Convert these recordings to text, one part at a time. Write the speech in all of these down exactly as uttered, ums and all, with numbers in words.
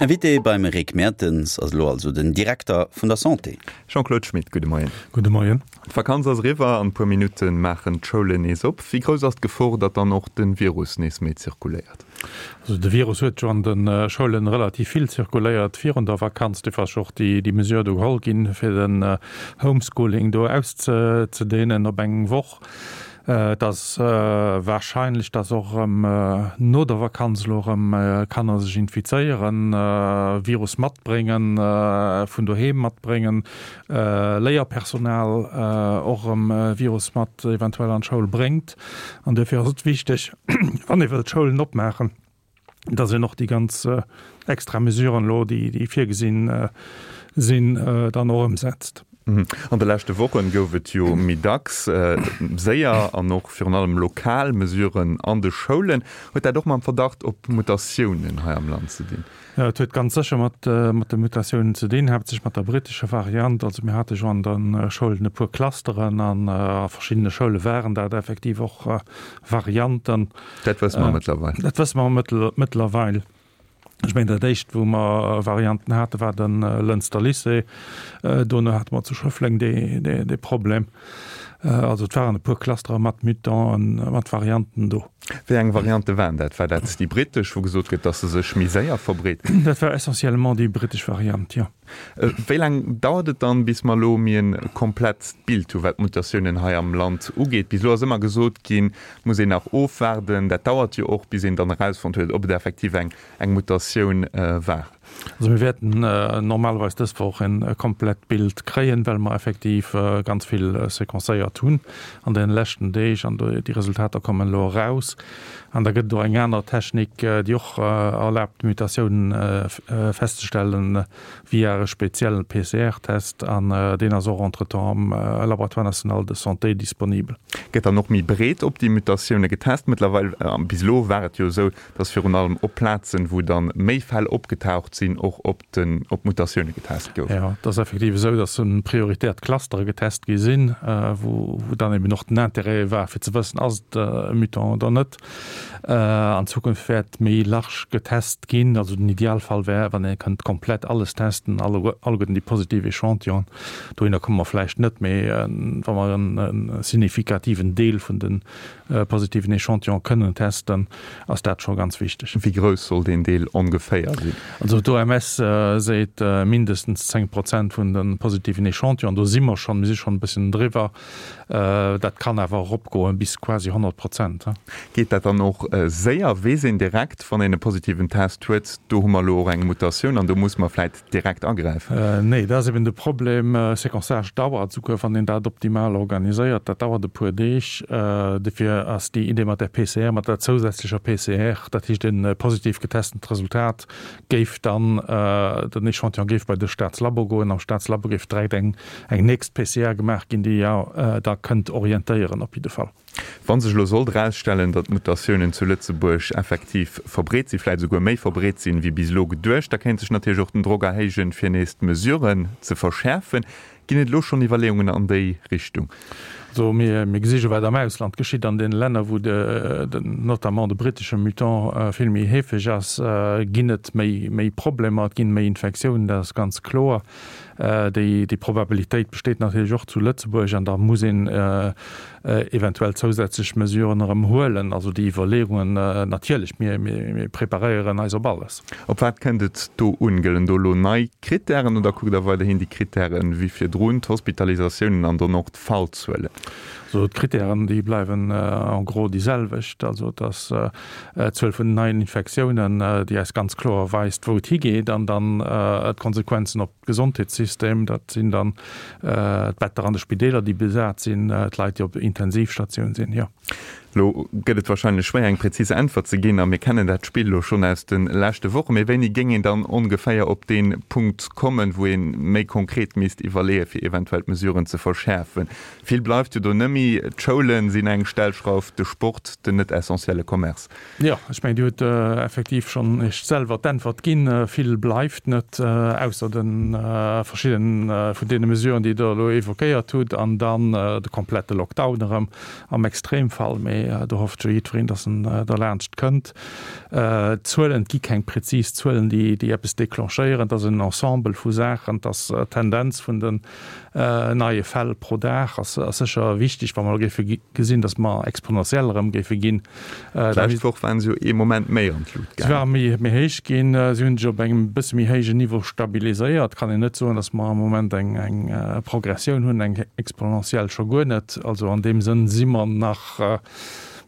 Invité beim Rick Mertens ass elo also den Direkter vun der Santé. Jean-Claude Schmit, gudde Moien. Gudde Moien. D'Vakanz ass eriwwer, an e puer Minutte maachen d'Schoulen nees op. Wéi grouss ass d'Gefor, datt dann och de Virus nees méi zirkuléiert? Also de Virus huet jo an de Schoulen relativ vill zirkuléiert virun der Vakanz. Dofir ass jo och déi déi Mesure do geholl ginn, fir den Homeschooling do auszedehnen op eng Woch. Et ass warscheinlech, dass och erëm no der Vakanz elo erëm Kanner sech infizéieren, Virus matbréngen, vun doheem matbréngen, Léierpersonal och erëm Virus mat eventuell an d'Schoul bréngt. An duerfir ass et wichteg, wann ee wëllt d'Schoulen opmaachen, dass een och déi ganz extra Mesuren elo, déi virgesinn sinn, dann och ëmsetzt. An de leschte Wochen gouf et jo méi dacks séier an och virun allem lokal Mesuren an de Schoulen. Huet dat och mam Verdacht op Mutatiounen hei am Land ze dinn? Jo, et huet ganz sécher mat de Mutatiounen ze dinn, haaptsächlech mat der brittescher Variant. Also mir hate jo an de Schoulen e puer Clusteren an a verschiddene Schoule waren dat effektiv och Varianten. Dat wësse mer mëttlerweil. Dat wësse mer mëttlerweil. Ech mengen, dat éischt, wou mer Varianten haten, war de Lënster Lycée. Dono hate mer zu Schëffleng dee Problem. Also et waren e puer Clustere mat Mutanten, mat Varianten do. Wéi eng Variante waren dat? War dat déi brittesch, wou gesot gëtt, datt se sech méi séier verbreet? Dat war essentiellement déi brittesch Variant, jo. Wéi laang dauert et dann, bis mer elo méi e komplett Bild hu wat d'Mutatiounen hei am Land ugeet? Bis elo ass ëmmer gesot ginn, muss een nach ofwaarden. Dat dauert jo och, bis een dann erausfonnt huet, ob et effektiv eng eng Mutatioun war. Also mir wäerten normalerweis dës Woch e komplett Bild kréien, well mer effektiv ganz vill sequencéiert hunn an deene leschten Deeg an déi Resultater kommen elo eraus. An da gëtt et och eng aner Technik, déi och erlaabt, Mutatiounen festzestellen via e speziellen P C R-Test an deen ass och entretemps am Laboratoire national de santé disponibel. Gëtt dann och méi breet op déi Mutatioune getest mëttlerweil? Bis elo war et jo esou, datt virun allem op Plazen, wou dann méi Fäll opgetaucht sinn, och op den op d'Mutatioune getest gouf. Jo, et ass effektiv esou, datt prioritär d'Clustere getest gi sinn, wou dann eben och den Intérêt war fir ze wëssen, ass et e Mutant oder net. An Zukunft wäert méi large getest ginn. Also den Idealfall wär, wann ee kënnt komplett alles testen, alleguerten déi positiv Echantillonen. Dohinner komme mer vläicht net, mee wa mer e signifikativen Deel vun de positiven Echantillonen kënnen testen, ass dat scho ganz wichteg. Wéi grouss soll deen Deel ongeféier sinn? Also d'O M S seet mindestens zéng Prozent vun de positiven Echantillonen. Do si mer schonn, mir si schonn e bësschen driwwer. Dat kann awer eropgoen bis quasi honnert Prozent. Geet dat dann och séier? Weess een direkt, wann een e positiven Test huet, do hu mer elo och eng Mutatioun an do muss mer vläit direkt agräifen? Nee, dat ass eben de Problem. Séquençage dauert, souguer wann een dat optimal organiséiert, dat dauert e puer Deeg. Dofir ass déi Idee mat der P C R, mat der zousätzlecher P C R, dat heescht e positiv getestent Resultat géif dann, den Echantillon géif bei de Staatslabo goen, am Staatslabo géif direkt eng eng nächst P C R gemaach ginn, déi jo da kënnt orientéieren op jidde Fall. Wa sech elo sollt erausstellen, datt d'Mutatiounen zu Lëtzebuerg effektiv verbreet sinn, vläicht esouguer méi verbreet sinn, wéi bis elo geduecht, da kéint sech natierlech och den Drock erhéijen, fir nees d'Mesuren ze verschäerfen. Ginn et elo schonn Iwwerleeungen an déi Richtung? Also mir gesi jo, wat am Ausland geschitt. An deene Länner, wou notamment de brittesche Mutant vill méi heefeg ass, ginn et méi Problemer, et ginn méi Infektiounen, dat ass ganz kloer. Déi Probabilitéit besteet natierlech och zu Lëtzebuerg an da muss een eventuell zousätzlech Mesuren erëm huelen. Also déi Iwwerleeungen, natierlech, mir preparéieren eis op alles. Op wat kënnt et do un? Gëllen do elo nei Krittären oder kuckt Der weiderhin déi Krittären wéi virdrun, d'Hospitalisatiounen an dann och d'Fallzuelen? Also d'Krittären, déi bleiwen en gros déi selwecht. Also et ass d'Zuel vun den neien Infektiounen, déi eis ganz kloer weist, wou et higeet, an dann d'Konsequenzen op d'Gesondheetssystem. Dat sinn dann d'Better an de Spideeler, déi besat sinn, d'Leit, déi op Intensivstatioun sinn, jo. Elo gëtt et wahrscheinlech schwéier, eng präzis Äntwert ze ginn, a mir kennen dat Spill elo schonn aus de leschte Wochen. Mee wéini géing een dann ongeféier op dee Punkt kommen, wou ee méi konkret misst iwwerleeën, fir eventuell d'Mesuren ze verschäerfen? Vill bleift jo do nëmmi. D'Schoule sinn eng Stellschrauf, de Sport, den net essentielle Commerce. Jo, ech mengen, Dir hutt effektiv schonn Iech selwer d'Äntwert ginn. Vill bleift net, ausser de verschidden vun deene Mesuren, déi Der elo évoquéiert hutt, an dann de komplette Lockdown erëm am Extremfall. Mee Mee do hofft jo jiddwereen, dass en derlaanscht kënnt. D'Zuelen, et gi keng prezis Zuelen, déi eppes declenchéieren. Et ass en Ensemble vu Saachen. Et ass d'Tendenz vun den neie Fäll pro Dag ass sécher wichteg. Wa mer elo géife gesinn, dass mer exponentiell erëm géife ginn, da. D'lescht Woch waren se jo ee Moment méi an d'Lut gaangen. Se ware méi héich ginn. Si hunn sech op engem bësse méi héijen Niveau stabiliséiert. Et kann een net soen, dass mer am Moment eng Progressioun hunn, eng exponentiell scho guer net. Also an deem Sënn si mer nach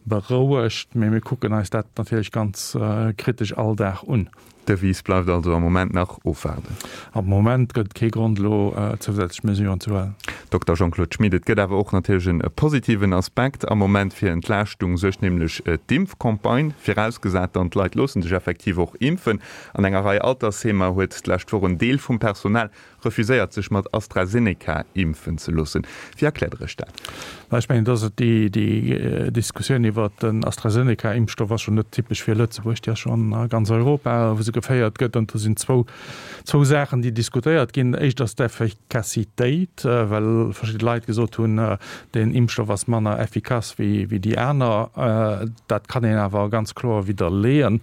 berouegt, mee mir kucken eis dat natierlech ganz kritesch all Dag un. D'Devise bleift also am Moment nach ofwaarden. Am Moment gëtt et kee Grond elo zousätzlech Mesuren ze huelen. Dokter Jean-Claude Schmit, Et gëtt awer och natierlech e positiven Aspekt am Moment. Fir Entlaaschtung suergt nämlech d'Impfcampagne, virausgesat dann d'Leit loosse sech effektiv och impfen. An enger Rei Altersheemer huet d'lescht Woch en Deel vum Personal refuséiert sech mat AstraZeneca impfen ze loossen. Wéi erkläert Der Iech dat? Mä ech mengen, dass et déi Diskussioun iwwert den AstraZeneca-Impfstoff ass jo net typesch fir Lëtzebuerg, déi ass schonn a ganz Europa, wou se geféiert gëtt. An do sinn zwou, zwou Saachen, déi diskutéiert ginn. Éischt ass d'Effikassitéit, well verschidde Leit gesot hunn, deen Impfstoff ass manner effikass wéi déi aner. Dat kann een awer ganz kloer widderleeën.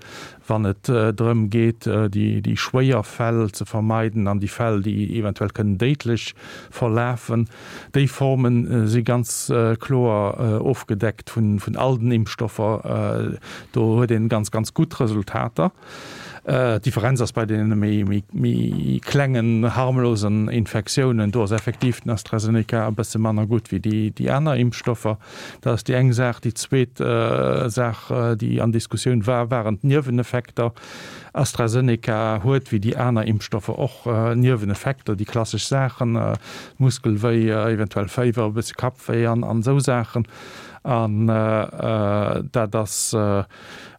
Wann et drëm geet, déi schwéier Fäll ze vermeiden an déi Fäll, déi eventuell kënnen déidlech verlafen, déi Forme si ganz kloer ofgedeckt vun all den Impfstoffer. Do huet een ganz, ganz gutt Resultater. D'Differenz ass bei deene méi klengen, harmlosen Infektiounen, do ass effektiv den AstraZeneca e bësse manner gutt wéi déi aner Impfstoffer. Dat ass déi eng Saach. Déi zweet Saach, déi an Diskussioun war, waren d'Nieweneffekter. AstraZeneca huet, wéi déi aner Impfstoffer och, Nieweneffekter, déi klassesch Saachen, Muskelwéi, eventuell Féiwer, e bësse Kappwéi an esou Saachen. An dat ass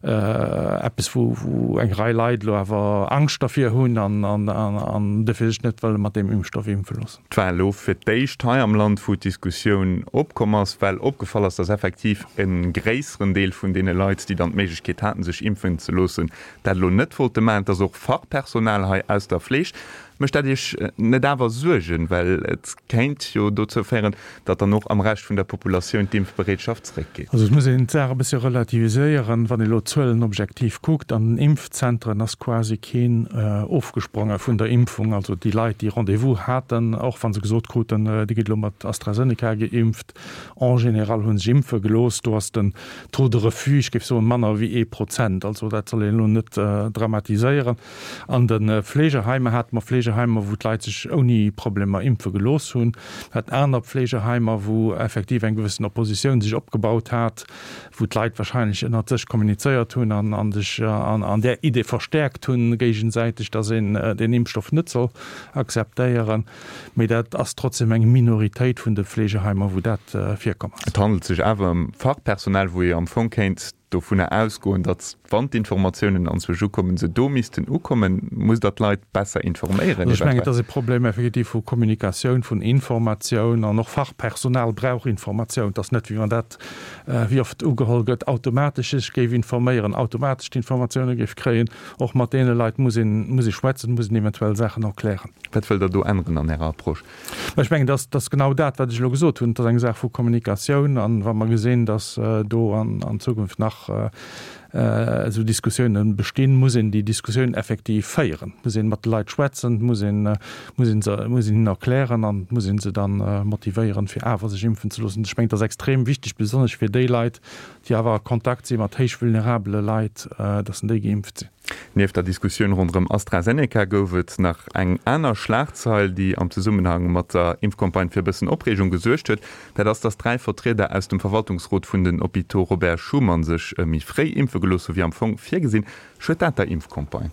eppes, wou eng Rei Leit elo awer Angscht dervir hunn an dofir sech net wëlle mat deem Impfstoff impfe loossen. Et war elo fir d'éischt hei am Land, wou d'Diskussioun opkomm ass, well opgefall ass, datt effektiv e gréisseren Deel vun deene Leit, déi dann d'Méiglechkeet haten, sech impfen ze loossen, dat elo net wollte maachen. Et ass och Fachpersonal hei aus der Fleeg. Mécht dat Iech net awer Suergen, well et kéint jo dozou féieren, datt dann och am Rescht vun der Populatioun d'Impfbereetschaft zréckgeet? Also et muss een d'Saach e bëssche relativiséieren. Wann ee elo d'Zuelen objektiv kuckt, an den Impfzentren ass quasi keen ofgespronge vun der Impfung. Also déi Leit, déi Rendez-vous haten, och wa se gesot kruten, Dir gitt elo mat AstraZeneca geimpft, en général hu sech impfe gelooss. Do ass den Taux de refus, ech géif soen, manner wéi ee Prozent. Also dat soll een elo net dramatiséieren. An de Fleegeheimer hate mer Fleegeheimer, wou d'Leit sech ouni Problemer impfe gelooss hunn. Mir haten aner Fleegeheimer, wou effektiv eng gewëssen Oppositioun sech opgebaut hat, wou d'Leit wahrscheinlech ënnert sech kommunizéiert hunn an sech an där Idee verstäerkt hunn géigesäiteg, dass een deen Impfstoff net soll akzeptéieren. Mee dat ass trotzdem eng Minoritéit vun de Fleegeheimer, wou dat virkomm ass. Et handelt sech awer ëm Fachpersonal, wou ee am Fong kéint dovunner ausgoen, datt wann d'Informatiounen anzwousch ukommen, se do missten ukommen. Musst Der d'Leit besser informéieren Also ech mengen, et ass e Problem effektiv vu Kommunikatioun, vun Informatioun, an och Fachpersonal brauch Informatioun. Et ass net, wéi wann dat, wéi oft ugeholl gëtt, automatesch sech géif informéieren, automatesch d'Informatioune géif kréien. Och mat deene Leit muss een, muss ee schwätzen, muss een eventuell Saachen erklären. Wat wëllt Der do änneren an Ärer Approche? Mä ech mengen, dat ass genau dat, wat ech elo gesot hunn. Et ass eng Saach vu Kommunikatioun. An wa mer gesinn, datt do an Zukunft nach esou Diskussiounen bestinn, muss een déi Diskussioun effektiv féieren. Et muss ee mat de Leit schwätzen, et muss een, muss een se, muss een hinnen erklären an et muss ee se da motivéieren, fir awer sech impfen ze loossen. Ech mengen, et ass extrem wichteg, besonnesch fir déi Leit, déi awer a Kontakt si mat héich vulnerabele Leit, datt déi geimpft sinn. Nieft der Diskussioun ronderëm AstraZeneca gouf et nach eng aner Schlagzeil, déi am Zesummenhang mat der Impfcampagne fir e bëssen Opreegung gesuergt huet. Dat ass, datt dräi Vertrieder aus dem Verwaltungsrot vun den Hôpitaux Robert Schuman sech méi fréi impfe gelooss hu wéi am Fong virgesinn. Schued dat der Impfcampagne?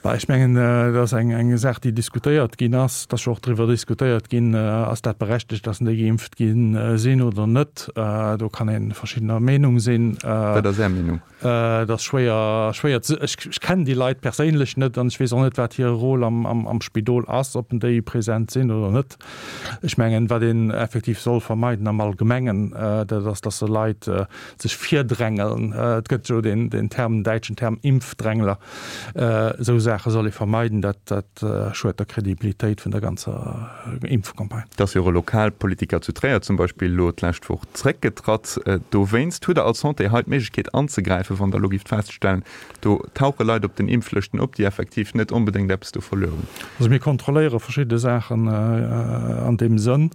Bah, ech mengen, dat ass eng Saach, déi diskutéiert ginn ass. Et ass jo och driwwer diskutéiert ginn, ass dat berechtegt, datt déi geimpft gi sinn oder net. Do kann ee verschiddener Meenung sinn. Wat ass Är Meenung? Et ass schwéier, schwéier ze, ech kennen déi Leit perséinlech net an ech weess och net, wat hire Rôle am Spidol ass, ob déi present sinn oder net. Ech mengen, wat een effektiv soll vermeiden am Allgemengen, dat ass, datt se Leit sech virdrängeln. Et gëtt jo deen Term, den däitschen Term Impfdrängler. Esou Saache Saache soll ee vermeiden, dat dat schued der Kredibilitéit vun der ganzer Impfcampagne. Et ass jo och e Lokalpolitiker zu Tréier zum Beispill elo d'lescht Woch zréckgetratt dowéinst. Hutt Der als Santé hei d'Méiglechkeet anzegräifen, wann Der elo gift feststellen, do tauche Leit op den Impflëschten op, déi effektiv net onbedéngt eppes do verluer hunn? Also mir kontrolléiere verschidde Saachen an deem Sënn.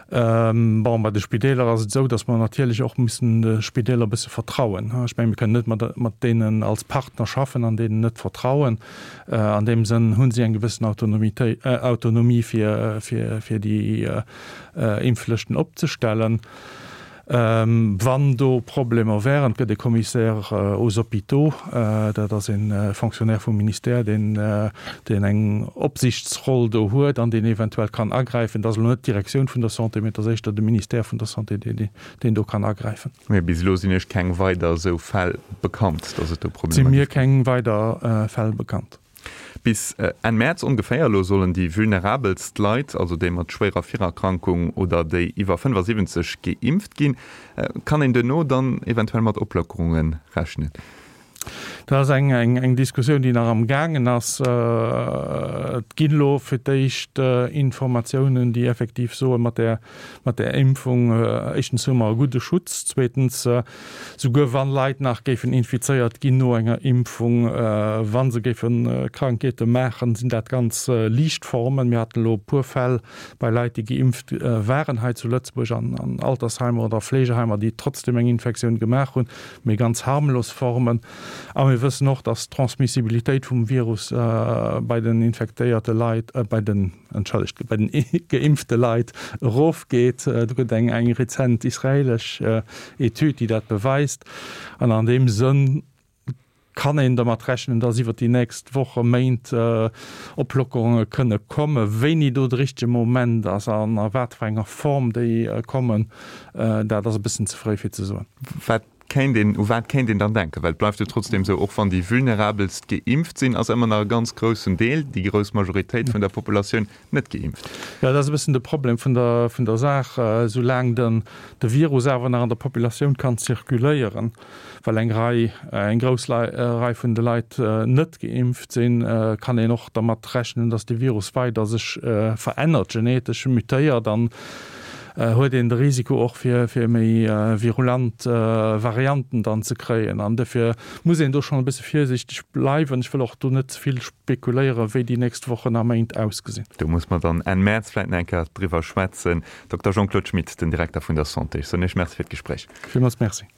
Bon, bei de Spideeler ass et esou, datt mer natierlech och mussen de Spideeler e bësse vertrauen. Ech mengen, mir kënnen net mat mat deenen als Partner schaffen an deenen net vertrauen. An deem Sënn hu si eng gewëssen Autonomitéit, Autonomie fir fir fir déi Impflëschten opzestellen. Wann do Problemer wären, et gëtt e Commissaire aux hôpitaux, dat ass e Fonctionnaire vum Ministère, deen deen eng Opsichtsroll do huet an deen eventuell kann agräifen. Dat ass elo net d'Direktioun vun der Santé, mee et ass éischter de Ministère vun der Santé, deen deen do kann agräifen. Mee bis elo sinn Iech keng weider esou Fäll bekannt, datt et do Problemer géif ginn? Si mir keng weider Fäll bekannt. Bis Enn Mäerz ongeféier elo sollen déi vulnerabelst Leit, also déi mat schwéirer Virerkrankung oder déi iwwer fënnefasiwwenzeg, geimpft ginn. Kann een duerno dann eventuell mat Oplockerunge rechnen? Dat ass eng Diskussioun, déi nach am gaangen ass. Et ginn elo fir d'éischt Informatiounen, déi effektiv soen, mat där Impfung, éischtens hu mer e gudde Schutz, zweetens, Souguer wann Leit nach géifen infizéiert ginn no enger Impfung, wa se géife Krankheete maachen, sinn dat ganz liicht Formen. Mir haten elo e puer Fäll bei Leit, déi geimpft waren hei zu Lëtzebuerg an Altersheimer oder Fleegeheimer, déi trotzdem eng Infektioun gemaach hunn, mee ganz harmlos Formen. A mir wëssen och, dass d'Transmissibilitéit vum Virus bei den infektéierte Leit, bei den, entschëllegt, bei den geimpfte Leit erofgeet. Do gëtt eng eng rezent israelesch Etüd, déi dat beweist. An an deem Sënn kann een dermat rechnen, dass iwwert déi nächst Woche, Méint Oplockerunge kënne kommen. Wéini do de richtege Moment ass an a wat fir enger Form déi kommen, dat ass e bëssen ze fréi fir ze soen. Wat kéint een, u wat kéint een dann denken? Well et bleift jo trotzdem esou, och wann déi Vulnerabelst geimpft sinn, ass ëmmer nach e ganz groussen Deel, déi grouss Majoritéit vun der Populatioun net geimpft. Jo, dat ass e bëssen de Problem vun der, vun der Saach. Soulaang den, de Virus awer nach an der Populatioun kann zirkuléieren, well eng Rei, eng grouss Rei vun de Leit net geimpft sinn, kann een och dermat rechnen, datt de Virus weider sech verännert, genetesch mutéiert an huet een de Risiko och fir fir méi virulent Varianten dann ze kréien. An dofir muss een do schonn e bësse virsiichteg bleiwen. Ech wëll och do net ze vill spekuléieren, wéi déi nächst Wochen a Méint ausgesinn. Do muss mer dann Enn Mäerz vläicht nach eng Kéier driwwer schwätzen. Dokter Jean-Claude Schmit, den Direkter vun der Santé, ech soen Iech Merci fir d'Gespréich. Villmools Merci.